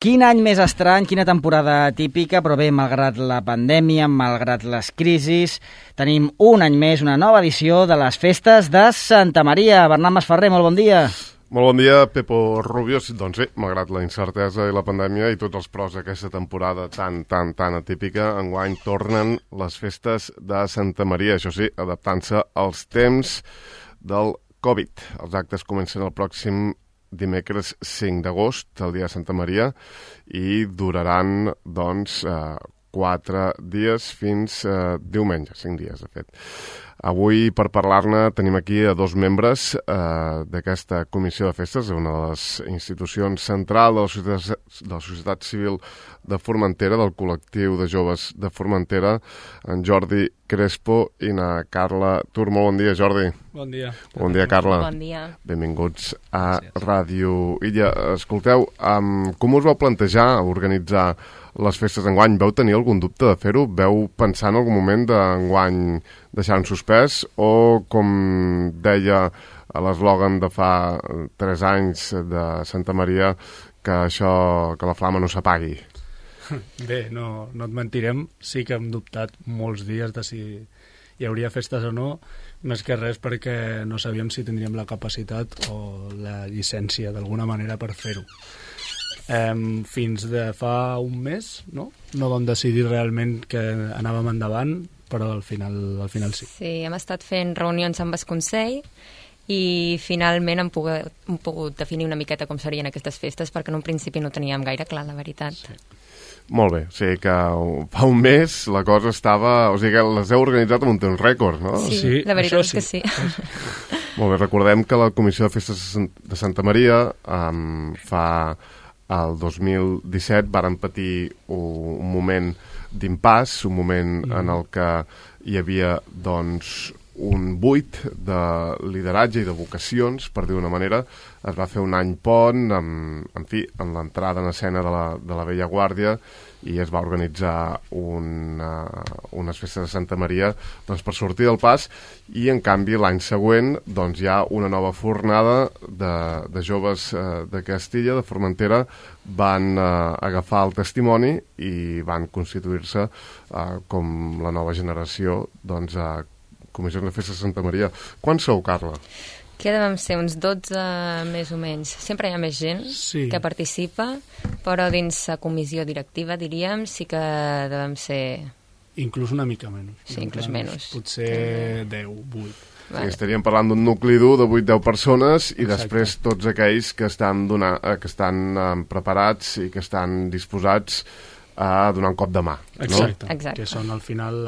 Quin any més estrany, quina temporada típica, però bé, malgrat la pandèmia, malgrat les crisis, tenim un any més, una nova edició de les festes de Santa Maria. Bernat Masferrer, molt bon dia. Molt bon dia, Pepo Rubio. Doncs bé, malgrat la incertesa i la pandèmia i tots els pros d'aquesta temporada tan atípica, enguany tornen les festes de Santa Maria, això sí, adaptant-se als temps del Covid. Els actes comencen el pròxim dimecres 5 d'agost, el dia de Santa Maria, i duraran, doncs, 4 dies fins diumenge, 5 dies, de fet. Avui, per parlar-ne, tenim aquí a dos membres d'aquesta comissió de festes, una de les institucions centrals de la societat civil de Formentera, del col·lectiu de joves de Formentera, en Jordi Crespo i na Carla Tur. Molt bon dia, Jordi. Bon dia. Bon dia, Carla. Bon dia. Benvinguts a Ràdio Illa. Escolteu, com us vau plantejar organitzar les festes d'enguany? Veu tenir algun dubte de fer-ho? Veu pensar en algun moment d'enguany deixar en suspès? O, com deia l'eslògan de fa 3 anys de Santa Maria, que la flama no s'apagui? Bé, no et mentirem, sí que hem dubtat molts dies de si hi hauria festes o no, més que res perquè no sabíem si tindríem la capacitat o la llicència d'alguna manera per fer-ho. Fins de fa un mes no vam decidir realment que anàvem endavant, però al final sí. Sí, hem estat fent reunions amb el Consell i finalment hem pogut definir una miqueta com serien aquestes festes, perquè en un principi no teníem gaire clar, la veritat. Sí. Molt bé, o sigui que fa un mes la cosa estava... O sigui que les heu organitzat amb un temps rècord, no? Sí, la veritat és que sí. Molt bé, recordem que la Comissió de Festes de Santa Maria fa el 2017 varen patir un moment d'impàs, un moment en el que hi havia, doncs, un buit de lideratge i de vocacions, per dir d'una manera. Es va fer un any pont, amb l'entrada en escena de la Vella Guàrdia, i es va organitzar unes festes de Santa Maria, doncs, per sortir del pas, i en canvi l'any següent doncs, hi ha una nova fornada de joves de Castilla, de Formentera, van agafar el testimoni i van constituir-se com la nova generació, doncs, a Comissió de Festes de Santa Maria. Quan sou, Carla? Que devem ser uns 12 més o menys. Sempre hi ha més gent que participa, però dins la comissió directiva, diríem, sí que devem ser... Inclús una mica menys. Sí, inclús menys. Potser 10, 8. Vale. Sí, estaríem parlant d'un nucli dur de 8-10 persones i després tots aquells que estan preparats i que estan disposats a donar un cop de mà. Exacte. No? Exacte. Que són al final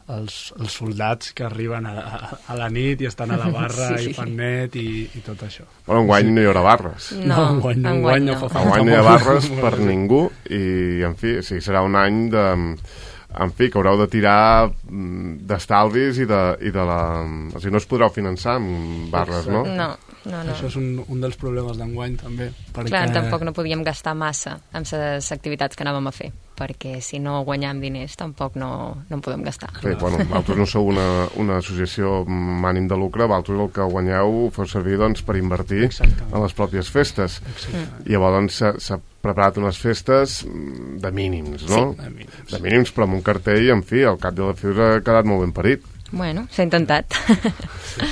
els soldats que arriben a la nit i estan a la barra i fan net i tot això. Bueno, enguany no hi haurà barres. No, enguany no fa falta. Enguany no hi ha barres per ningú i, en fi, sí, serà un any que haureu de tirar d'estalvis i de la... O sigui, no es podreu finançar amb barres, no? No. Això és un dels problemes d'enguany, també. Perquè... Clar, tampoc no podíem gastar massa amb les activitats que anàvem a fer, perquè si no guanyam diners tampoc no en podem gastar. Sí, bueno, vosaltres no sou una associació amb ànim de lucre, vosaltres el que guanyeu ho feu servir, doncs, per invertir en les pròpies festes. I llavors doncs, s'ha preparat unes festes de mínims, no? Sí. De mínims, però amb un cartell, en fi, al cap de la fi us ha quedat molt ben parit. Bueno, s'ha intentat.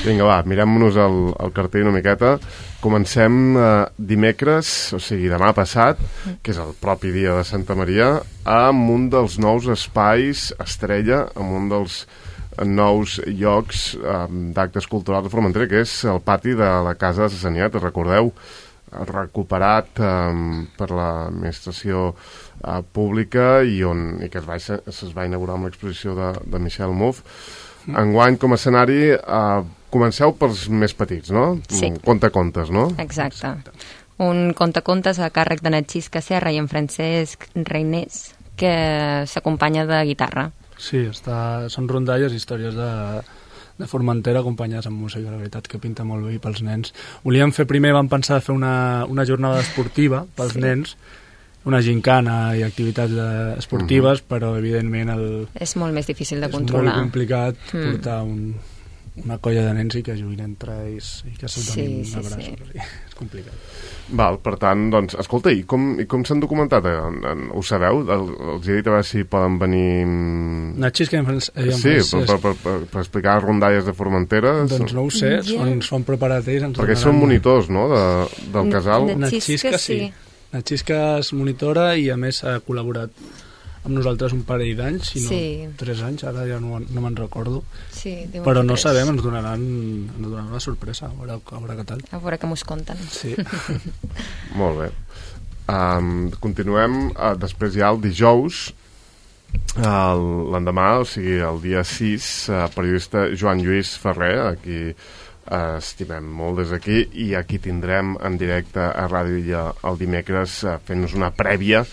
Vinga, va, mirem-nos el cartell una miqueta. Comencem dimecres, o sigui, demà passat, que és el propi dia de Santa Maria, amb un dels nous espais estrella, amb un dels nous llocs d'actes culturals de Formentera, que és el pati de la Casa de Sassaniat, recordeu, recuperat per l'administració pública i que es va inaugurar amb l'exposició de Michel Mouffe. Enguany, com a escenari, comenceu pels més petits, no? Sí. Contacontes, no? Exacte. Un contacontes a càrrec de Natxisca Serra i en Francesc Reinés, que s'acompanya de guitarra. Sí, són rondalles, històries de Formentera acompanyades amb música, la veritat que pinta molt bé pels nens. Vam pensar de fer una jornada esportiva pels nens, una gincana i activitats esportives, però evidentment és molt més difícil de controlar. És molt complicat portar una colla de nens i que juguin entre ells i que se'ls donin abraços. Sí. És complicat. Val, per tant, doncs, escolta, i com s'han documentat? Ho sabeu? Els he dit a veure si poden venir... Natxisca en francès. Sí, per explicar rondalles de Formentera. Doncs no ho sé, s'ho han preparat ells. Perquè són monitors, no?, del casal. Natxisca sí. Natxisca és monitora i a més ha col·laborat amb nosaltres un parell d'anys, si no 3 anys, ara ja no me'n recordo. Sí, però no sabem, ens donaran una sorpresa, a veure què tal. A veure què mos conten. Sí. Molt bé. Continuem, després ja el dijous, l'endemà, o sigui, el dia 6, periodista Joan Lluís Ferrer, aquí estimem molt des d'aquí, i aquí tindrem en directe a Ràdio Illa el dimecres fent-nos una prèvia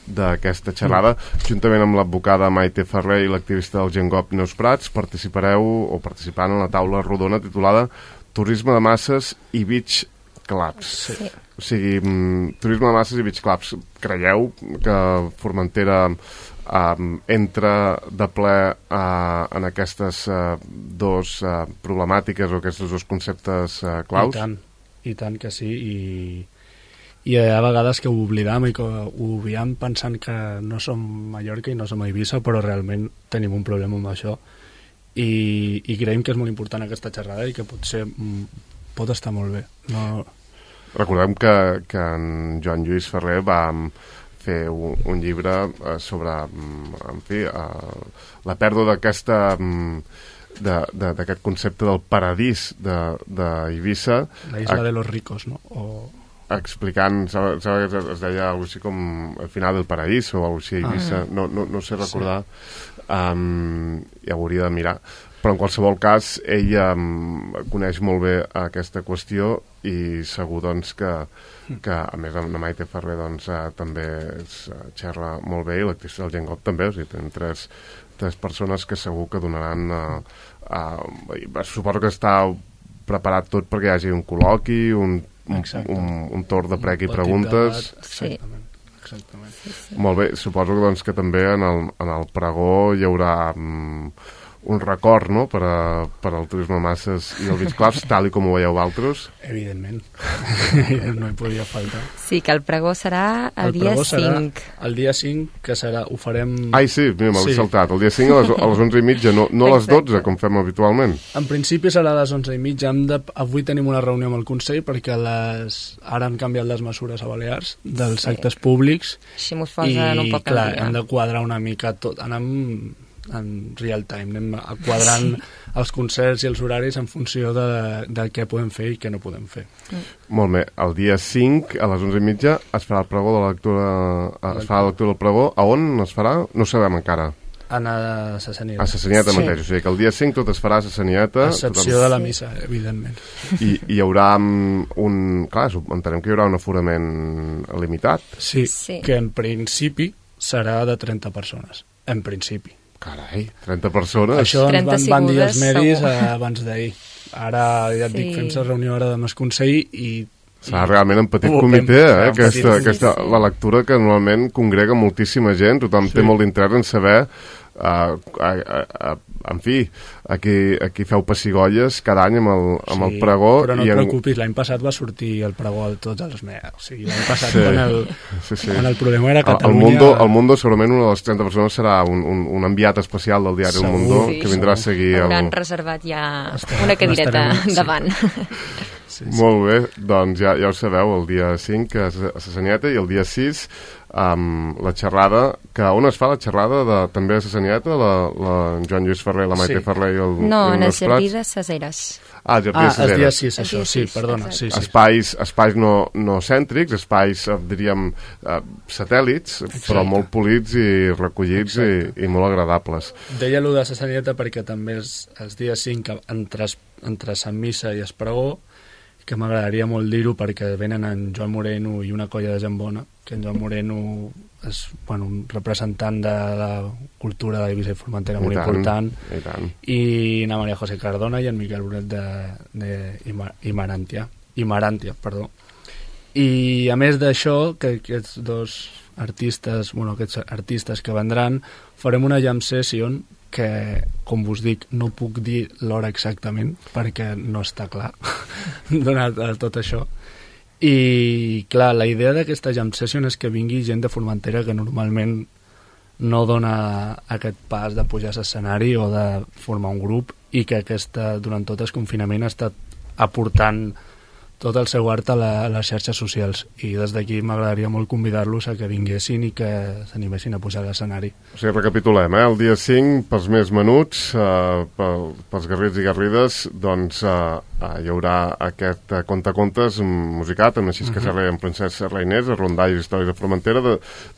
d'aquesta xerrada, juntament amb l'advocada Maite Ferrer i l'activista del Gengop Neus Prats. Participant en la taula rodona titulada Turisme de masses i beach clubs. Sí. O sigui, turisme de masses i beach clubs. Creieu que Formentera entra de ple en aquestes dos problemàtiques o aquests dos conceptes claus? I tant que sí, i a vegades que ho oblidam i que ho obviem pensant que no som Mallorca i no som Eivissa, però realment tenim un problema amb això i creiem que és molt important aquesta xerrada i que potser pot estar molt bé. Recordem que en Joan Lluís Ferrer va fer un llibre sobre, en fi, la pèrdua d'aquest concepte del paradís d'Eivissa. La isla de los ricos, no? Explicant, es deia alguna cosa com el final del paraís o alguna cosa així, Eivissa, no sé recordar, ja ho hauria de mirar, però en qualsevol cas ella coneix molt bé aquesta qüestió i segur doncs que a més amb la Maite Ferrer doncs també xerra molt bé i l'actriu del Gengop també, o sigui, tenen tres persones que segur que donaran suposo que està preparat tot perquè hi hagi un col·loqui, un torn de prec i preguntes. Exactament. Molt bé, suposo doncs, que també en el pregó hi haurà un record, no?, per al turisme masses i el beach clubs, tal i com ho veieu vosaltres. Evidentment. No hi podia faltar. Sí, que el pregó serà el dia 5. El dia 5, que serà, ho farem... Ai, sí, mira, m'ho he saltat. El dia 5 a les 11:30, no a les 12, com fem habitualment. En principi serà a les 11:30. Avui tenim una reunió amb el Consell perquè ara han canviat les mesures a Balears dels actes públics. Així mos posen un poc al dia. Hem de quadrar una mica tot. Anem en real time, anem quadrant els concerts i els horaris en funció de què podem fer i què no podem fer. Molt bé, el dia 5 a les 11:30 es farà el pregó de la lectura, es farà la lectura del pregó. A on es farà? No ho sabem encara. A Sassanieta. A Sassanieta mateix, o sigui que el dia 5 tot es farà a Sassanieta. A excepció de la missa, evidentment. I hi haurà clar, entenem que hi haurà un aforament limitat. Sí, que en principi serà de 30 persones, en principi. Carai, 30 persones? Això ens van dir els medis abans d'ahir. Ara, ja et dic, fem-se reunió ara amb el Consell i... Serà realment en petit comitè, la lectura que normalment congrega moltíssima gent, tothom té molt d'interès en saber, en fi, aquí feu pessigolles cada any amb el pregó. Però no et preocupis, l'any passat va sortir el pregó de tots els meus. O sigui, l'any passat, quan el problema era Catalunya... Al Mundo, segurament una de les 30 persones serà un enviat especial del diari El Mundo, que vindrà a seguir... Hauran reservat ja una cadireta davant. Molt bé, doncs ja ho sabeu, el dia 5 a Sassanieta i el dia 6 la xerrada, que on es fa la xerrada també a Sassanieta, la Joan Lluís Ferrer, la Maite Ferrer i el No, en el Jardí de Ceseres. El Jardí de Ceseres. El dia 6, això, sí, perdona. Espais no cèntrics, espais, diríem, satèl·lits, però molt polits i recollits i molt agradables. Deia allò de Sassanieta perquè també els dies 5 entre Sant Missa i Espregó, que m'agradaria molt dir-ho perquè venen en Joan Moreno i una colla de gent bona, que en Joan Moreno és un representant de la cultura d'Eivissa i Formentera molt important, i na Maria José Cardona i en Miquel Brunet d'Imaràntia. I a més d'això, que aquests dos artistes, aquests artistes que vendran, farem una jam session que, com vos dic, no puc dir l'hora exactament perquè no està clar donat tot això. I clar, la idea d'aquesta jam session és que vingui gent de Formentera que normalment no dona aquest pas de pujar a l'escenari o de formar un grup, i que durant tot el confinament ha estat aportant tot el seu art a les xarxes socials, i des d'aquí m'agradaria molt convidar-los a que vinguessin i que s'animessin a pujar a l'escenari. O sigui, recapitulem, el dia 5, pels més menuts, pels garrits i garrides, doncs hi haurà aquest contacontes musicat, amb Narcís Casserrer, amb Francesc Reiners, a Rondalls, Històries de Formentera,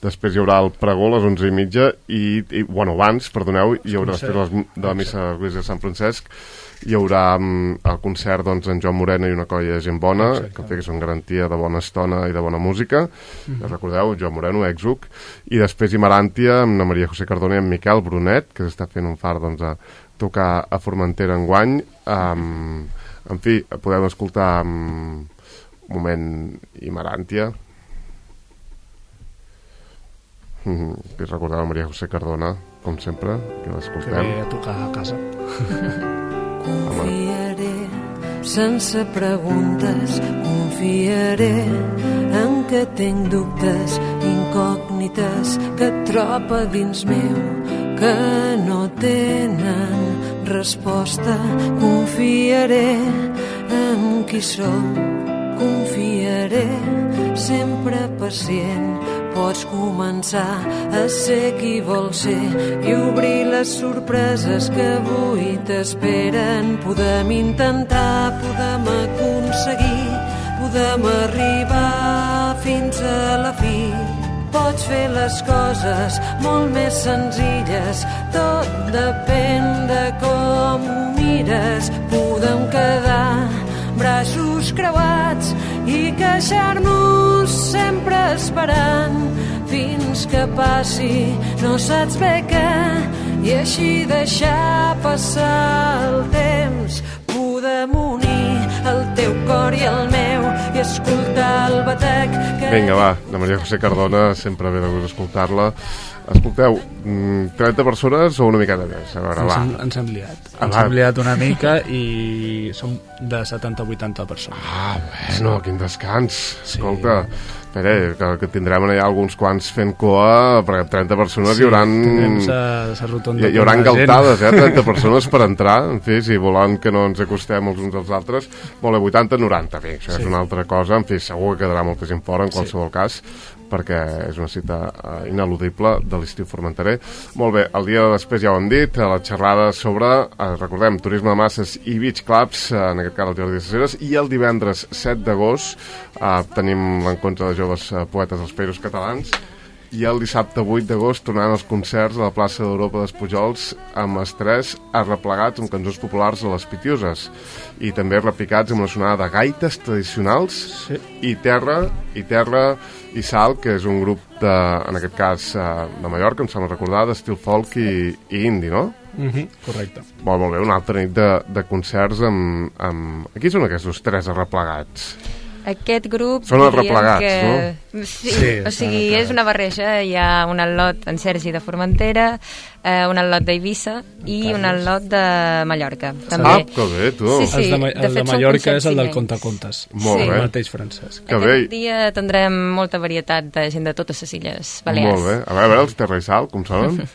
després hi haurà el pregó a les 11:30, i bueno, abans, perdoneu, hi haurà després de la missa de l'Església de Sant Francesc, hi haurà el concert doncs, en Joan Moreno i una colla de gent bona, que són garantia de bona estona i de bona música. Recordeu, Joan Moreno, Exuc, i després Imaràntia amb la Maria José Cardona i en Miquel Brunet, que s'està fent un far doncs, a tocar a Formentera enguany. En fi, podem escoltar un moment Imaràntia. Recordeu la Maria José Cardona, com sempre, que l'escoltem. Que ve a tocar a casa. Confiaré sense preguntes, confiaré en que tinc dubtes, incògnites que tropa dins meu, que no tenen resposta. Confiaré en qui sóc, confiaré sempre pacient. Pots començar a ser qui vols ser i obrir les sorpreses que avui t'esperen. Podem intentar, podem aconseguir, podem arribar fins a la fi. Pots fer les coses molt més senzilles, tot depèn de com ho mires. Podem quedar braços creuats i queixar-nos sempre esperant fins que passi no saps bé què, i així deixar passar el temps. Podem unir el teu cor i el meu i escoltar el batec que... Vinga, va, la Maria José Cardona, sempre ve de gust escoltar-la. Escolteu, 30 persones o una miqueta més? A veure, va. Ens hem liat. Ens hem liat una mica i som de 70-80 persones. Bueno, quin descans. Sí. Escolta, espera, que tindrem allà alguns quants fent coa, perquè 30 persones hi hauran... Hi haurà galtades, 30 persones per entrar, en fi, si volen que no ens acostem els uns als altres. Molt bé, 80-90, bé, això és una altra cosa, en fi, segur que quedarà molta gent fora, en qualsevol cas, perquè és una cita ineludible de l'estiu formenterer. Molt bé, el dia després ja ho hem dit, la xerrada sobre, recordem, turisme de masses i beach clubs, en aquest cas el Jordi de Caceres, i el divendres 7 d'agost tenim l'encontre de joves poetes dels Països Catalans, i el dissabte 8 d'agost tornaran els concerts a la plaça d'Europa dels amb estrès arreplegats amb cançons populars a les Pitiuses, i també repicats amb una sonada de gaites tradicionals, i Terra i Sal, que és un grup en aquest cas de Mallorca, em sembla recordar, d'estil folk i indie, no? Correcte. Molt bé, una altra nit de concerts amb... Aquí són aquests tres arreplegats. Aquest grup... Són els replegats, no? Sí, o sigui, és una barreja. Hi ha un al·lot en Sergi de Formentera, un al·lot d'Eivissa i un al·lot de Mallorca. També. Que bé, tu! Sí, el de Mallorca és el del contacontes. Molt bé. El mateix francès. Aquest dia tindrem molta varietat de gent de totes les Illes Balears. Molt bé. A veure, els Terra i Sal, com sonen?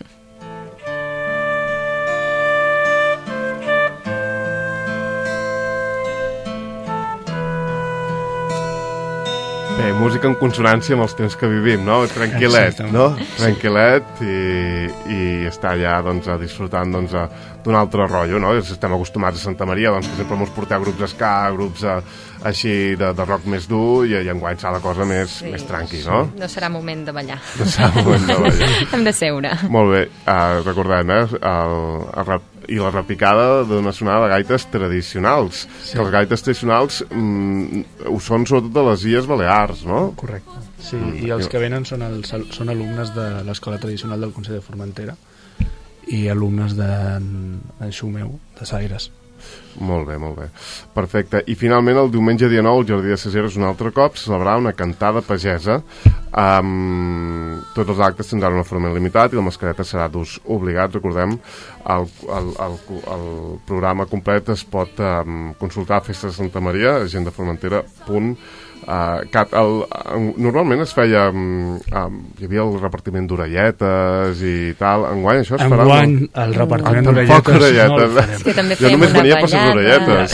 Bé, música en consonància amb els temps que vivim, no? Tranquil·let, no? Tranquil·let i estar allà doncs, disfrutant doncs, d'un altre rotllo, no? Estem acostumats a Santa Maria, doncs, que sempre ens porteu grups ska, grups així de rock més dur, i enguany serà la cosa més tranqui, no? No serà moment de ballar. No serà moment de ballar. Hem de seure. Molt bé, recordem, i la repicada d'una sonada de gaites tradicionals, que les gaites tradicionals ho són sobretot de les Illes Balears, no? Correcte, sí, i els que venen són alumnes de l'Escola Tradicional del Consell de Formentera i alumnes d'en Xumeu, de Saires. Molt bé, molt bé. Perfecte. I finalment el diumenge dia 9 el Jordi de Caceres un altre cop celebrarà una cantada pagesa Tots els actes tindran un aforament limitat i la mascareta serà d'ús obligat. Recordem, el programa complet es pot consultar a Festes de Santa Maria, agendaformentera.cat. Normalment es feia hi havia el repartiment d'orelletes i tal. Enguany això es farà... Enguany el repartiment d'orelletes no el farem. És que també jo només venia per les orelletes.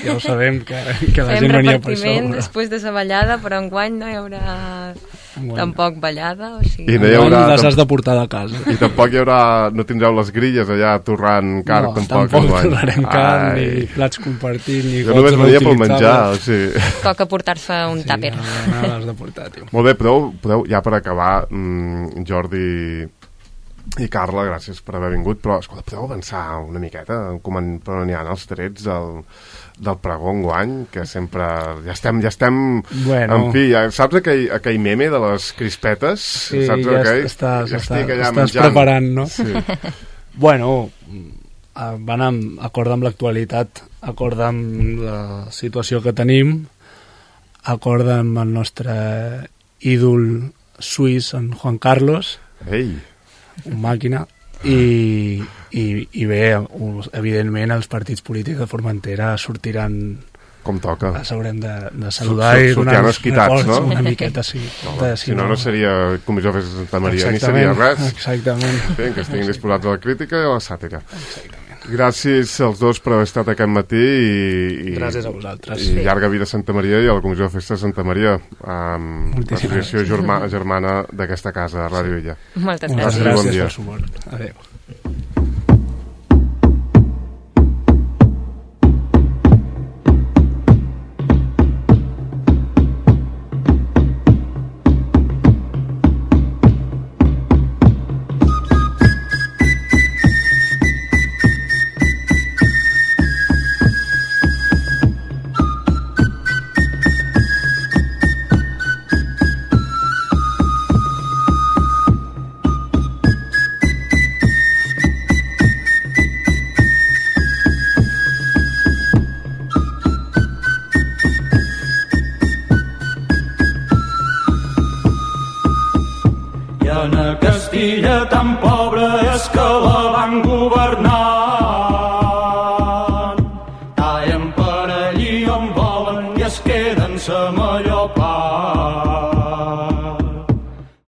Ja ho sabem que la gent venia per això. Fem repartiment després de la ballada, però enguany no hi haurà tampoc ballada, o sigui... I no hi haurà... les has de portar de casa. I tampoc hi haurà... No tindreu les grilles allà torrant carn, tampoc torrarem carn, ni plats compartits, ni jo només venia pel menjar, o sigui... Toca portar-se un tàper. No l'has de portar, tio. Molt bé, podeu ja per acabar, Jordi i Carla, gràcies per haver vingut, però escolta, podeu avançar una miqueta per on hi ha els trets del pregó enguany, que sempre ja estem bueno. En fi, saps aquell meme de les crispetes? Sí, saps estàs preparant, no? Sí. Bueno, acord amb l'actualitat, acord amb la situació que tenim, acord amb el nostre ídol suís, en Juan Carlos. Ei! Un màquina. I bé, evidentment els partits polítics de Formentera sortiran com toca. Els haurem de saludar i donar records, no? Una miqueta, sí. Si no seria Comissió de Festes de Santa Maria, ni seria res. Exactament. Bé, que estiguin disposats a la crítica i a la sàtira. Exactament. Gràcies als dos per haver estat aquest matí i gràcies a vosaltres. I llarga vida a Santa Maria i a la Comissió de Festes de Santa Maria, l'associació germana d'aquesta casa, Ràdio Illa. Moltes gràcies. Gràcies pel suport. Adéu. Castilla tan pobra és que la van governar. Tallen per allí on volen i es queden sa millor part.